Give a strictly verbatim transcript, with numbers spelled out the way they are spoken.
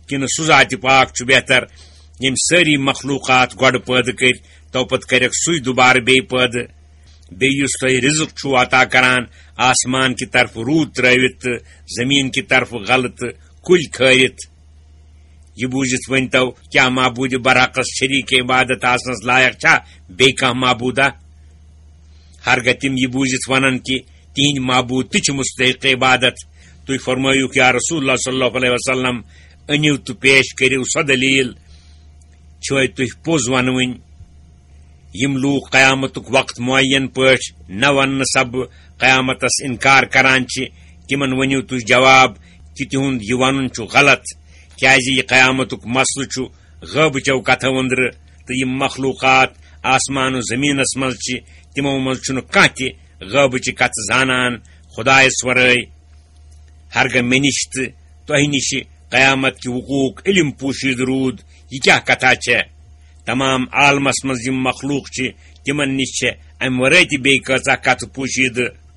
کِنہٕ سُہ ذاتِ پاک چھُ بہتر، ییٚمۍ سٲری مخلوقات گۄڈٕ پٲدٕ کٔرۍ، تو پتہٕ کَرٮ۪کھ سُے دُبارٕ بیٚیہِ پٲدٕ؟ بیٚیہِ یُس تۄہہِ رزق چھُو عطا کران، آسمان کہِ طرفہٕ روٗد ترٲوِتھ تہٕ زمین کہِ طرفہٕ غلہٕ تہٕ کُلۍ کھٲرِتھ، یہِ بوٗزِتھ ؤنۍتو، کیٛاہ معبوٗدِ برحقس شریٖک عبادت آسنس لایق چھا بیٚیہِ کانٛہہ معبوٗدا؟ ہرگاہ تِم یہِ بوٗزِتھ ونن کہِ تِہنٛدۍ معبوٗد تہِ چھِ مستحق عبادت، تُہۍ فرمٲیِو، یا رسول اللہ صلی اللہ علیہ وسلم، أنِو تہٕ پیش کٔرِو سۄ دٔلیٖل، چھِوَے تُہۍ پوٚز ونوٕنۍ؟ یِم لوٗکھ قیامتُک وقت معین پٲٹھۍ نہ وننہٕ سببہٕ قیامتس انکار کران چھِ، تِمن ؤنِو تُہۍ جواب کہِ تِہُنٛد یہِ ونُن چھُ غلط، کیازِ یہِ قیامتُک مسلہٕ چھُ غٲبٕچو کتھو أنٛدرٕ، تہٕ یِم مخلوقات آسمان و زمینس منٛز چھِ، تِمو منٛز چھُنہٕ کانٛہہ تہِ غٲبٕچہِ کتھٕ زانان خدایس ورٲے۔ ہرگاہ مےٚ نِش تہٕ تۄہہِ نِش قیامت کہِ وقوٗعُک علم پوشیدٕ روٗد، یہِ کیٛاہ کتھا چھےٚ؟ تمام عالمس منٛز یِم مخلوق چھِ، تِمن نِش چھےٚ امہِ ورٲے تہِ بیٚیہِ کۭژاہ کتھٕ پوشیدٕ۔